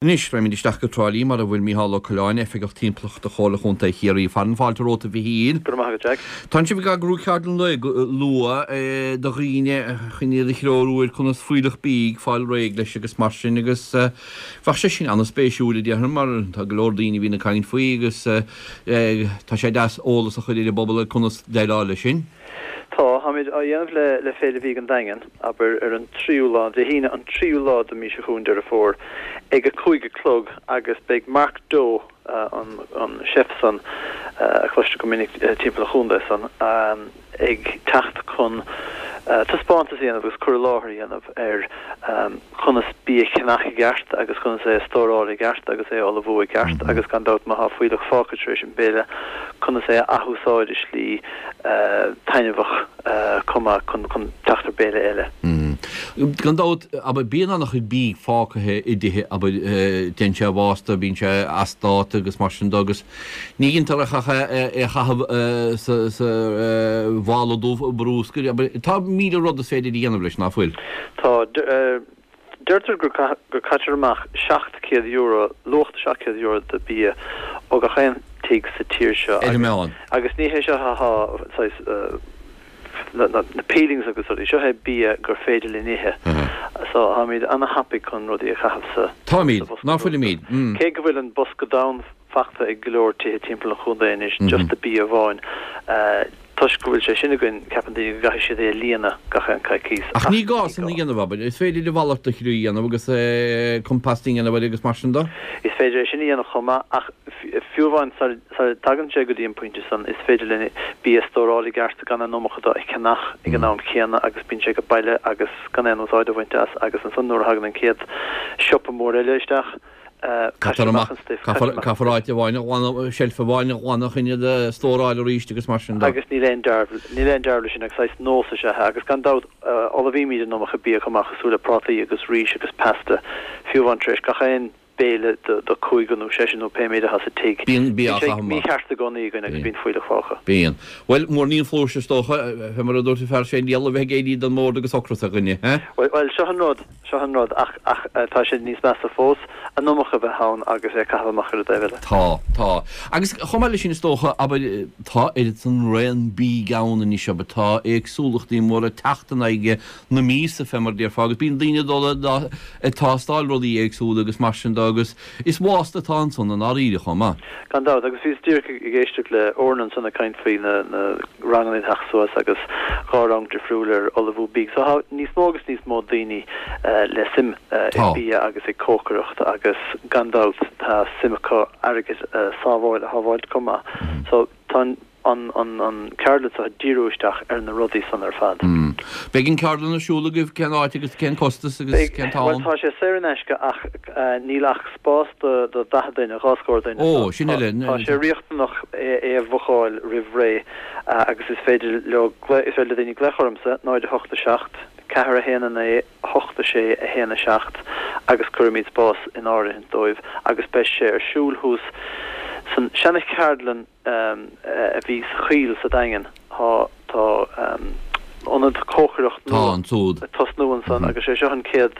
Anois, raghaimid isteach go Trá Lí mar a bhfuil Micheál Ó Coileáin, Oifigeach Timpeallachta Chomhairle Chontae Chiarraí. Fearann fáilte romhat, a Mhichíl. Go raibh maith agat, Jack. Tánn sibh ag eagrú ceardlann lae luath do dhaoine chun iad a threorú ar conas fuílleach bídh, fáil réidh leis agus mar sin agus bheadh sé sin an-spéisiúil a déarfainn mar tá go leor daoine a bhíonn ag caint faoi agus tá sé deas eolas a chur ar an bpobal ar conas déileáil leis sin. Tá, táimid á dhéanamh le le Féile Bhídh an Daingin, abair, ar an tríú lá, Dé hAoine an tríú lá de mí seo chugainn, Deireadh Fómhair, ag a 5 a chlog agus beidh Mark Doe, an an chef san a chloistear go minic timpeall an chontae san, ag teacht chun taispeántas a dhéanamh agus cur i láthair a dhéanamh ar conas bia a cheannach i gceart agus conas é a stóráil i gceart agus é a ullmhú i gceart agus gan dabht má thá fuílleach fágtha tar éis an béile conas é a athúsáid i slí taitneamhach chomh maith chun teacht ar béile eile. Gan dabht, abair, bíonn an-chuid bídh fágtha i dtithe, abair, téann sé i bhfásta, bíonn sé as dáta agus mar sin de agus ní dhéantar ach é a chaitheamh sa mhála dubh brúscair, abair, tá 1000 rud is féidir a dhéanamh leis, ná fuil? Tá. Deirtear gur caitear amach €700, luach €700 de bia ó gach aon tigh sa tír seo Ar an meán. agus ní hé seo atá saghas na peelings agus rudaí, seo é bia gur féidir linn ithe. So táimid ana-thapaidh chun rudaí a chaitheamh sa Táimid, bosca ná bruscair. fuilimid? Cé go bhfuil an bosca donn fachta ag go leor tithe timpeall an chontae anois, just de bia amháin. Toisc go bhfuil sé sin againn, ceapann daoine go gcaithfidh siad é a líonadh gach aon coicís, Ach ní gá san a dhéanamh, abair. Is féidir a mhalairt de chroí a dhéanamh agus composting a dhéanamh air agus mar sin de. Is féidir é sin a dhéanamh chomh maith, ach fiú amháin sara dtagann sé go dtí an pointe san, is féidir linn bia a stóráil i gceart gan an iomarca de a cheannach ag an am chéanna agus bíonn sé ag baile agus gan aon úsáid a bhaint as agus ansan nuair a thagann an chéad siopa mór eile isteach, Caitear amach an stuif. Caithfear áit amháin a ghlanadh, seilf amháin a ghlanadh chun iad a stóráil arís agus mar sin de. Agus níl aon dearbh, níl aon dearbh leis sin agus saghas nós is ea é. Agus gan dabht, ullmhaímid an iomarca bia chomh maith cosúil le prátaí agus rís agus pasta, fiú amháin tar éis gach aon béile do cúigear nó seisear nó pé méid atá sa tigh. Bíonn bia á Bíonn sé chaitheamh amach. mícheart i gcónaí againn agus bíonn fuílleach fágtha. Bíonn. Bhuel, muirnín flúirse is dócha, fé mar a dúirt an fear sé, an diabhal a bheith ag éirí den mbord agus ocras ar dhuine, he? Bhuel, seo an rud. Seo an rud, ach, ach tá sé níos measa fós, an iomarca a bheith ann agus é a chaitheamh amach ar an dtaobh eile. Tá, tá. Agus chomh maith leis sin is dócha, abair, tá oiread san raon bídh ann anois, abair, tá éagsúlachtaí móra ag teacht in aghaidh na míosa, fé mar a déarfá, agus bíonn daoine ag dul ag tástáil rudaí éagsúla agus mar sin de agus is bhásta atá ansan i ndáiríre chomh maith. Gan dabht, agus bhíos díreach ag éisteacht le Odhrán ansan ag caint faoi na ranganna ag teacht suas agus dhá rang difriúil ar ullmhú bídh. So tá níos mó agus níos mó daoine le suim i bia agus ag cócaireacht agus gan dabht tá suim acu airgead a sábháil a shábháilt chomh maith. So tá an an an ceardlann seo ag díriú isteach ar na rudaí san ar fad. Beidh an ceardlann ar siúl agaibh cén áit agus cén costas agus cén t-am? Bhuel tá sé saor in aisce ach níl ach spás do 40 duine, dhá scór duine. Ó, sin eile. Tá sé riachtanach é a bhucáil roimh ré agus is féidir leo, is féidir le daoine glaoch ormsa, 0 8 7 4 1 9 8 6 1 7 agus cuirfimid spás in áirithint dóibh agus beidh sé ar siúl thuas san seana-cheardlann a bhí sa Choill sa Daingean. Tá tá ionad cócaireacht nua ag tosnú ansan agus sé seo an chéad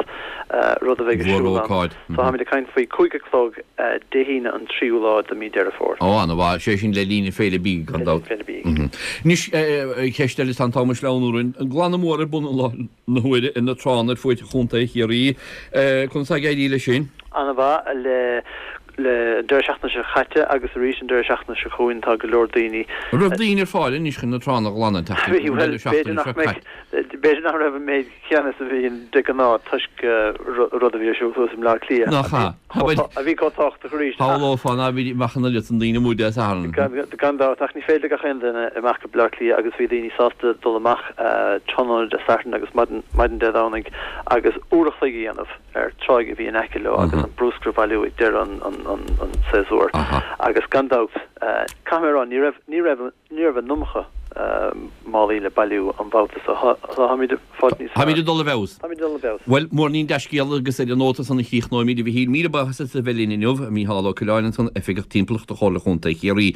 rud a bheidh ar siúl ann. So táimid ag caint faoi 5 a chlog Dé hAoine an tríú lá de mí Deireadh Fómhair. Ó, ana mhaith. Sé sin le linn Féile Bídh gan dabht. Le linn Féile Bídh. Anois, ceist eile, tá an t-am ag sleamhnú orainn. An glanadh mór ar bun i láthair na huaire ar na tránna ar fuaid Chontae Chiarraí. Conas tá ag éirí leis sin? Ana mhaith. Le Le an deireadh seachtaine seo caite agus arís an deireadh seachtaine seo chugainn tá go leor daoine. An raibh daoine ar fáil anois chun na tránna a ghlanadh an tseachtain, an deireadh seachtaine seo caite? B'fhéidir nach raibh an méid céanna is a bhíonn de ghnáth toisc rud a bhí ar siúl thuas i mBleá Cliath Nach ea? a bhí chomh tábhachtach arís. Shamhlófá ná bhí amach an oiread san daoine amuigh Dé Sathairn. Gan dabht, ach ní féidir le gach aon duine imeacht go Bleá Cliath agus bhí daoine sásta dul amach tráthnóna Dé Sathairn agus maidin Dé Domhnaigh agus uair a chloig a dhéanamh. ar tráigh a bhí in aice leo agus an brúscar a bhailiú ag deireadh an tséasúir. Agus gan dabht, caithfidh mé a rá, ní raibh, ní raibh, ní raibh an iomarca málaí le bailiú an babhta so. Táimid ag fáilt níos fearr. Táimid ag dul i bhfeabhas. Táimid ag dul i bhfeabhas. Bhuel, muirnín dea-scéala agus ar an nóta san a chríochnóimid, a Mhichíl. Míle buíochas as a bheith linn inniu, Mícheál Ó Coileáin ansan, Oifigeach Timpeallachta Chomhairle Chontae Chiarraí.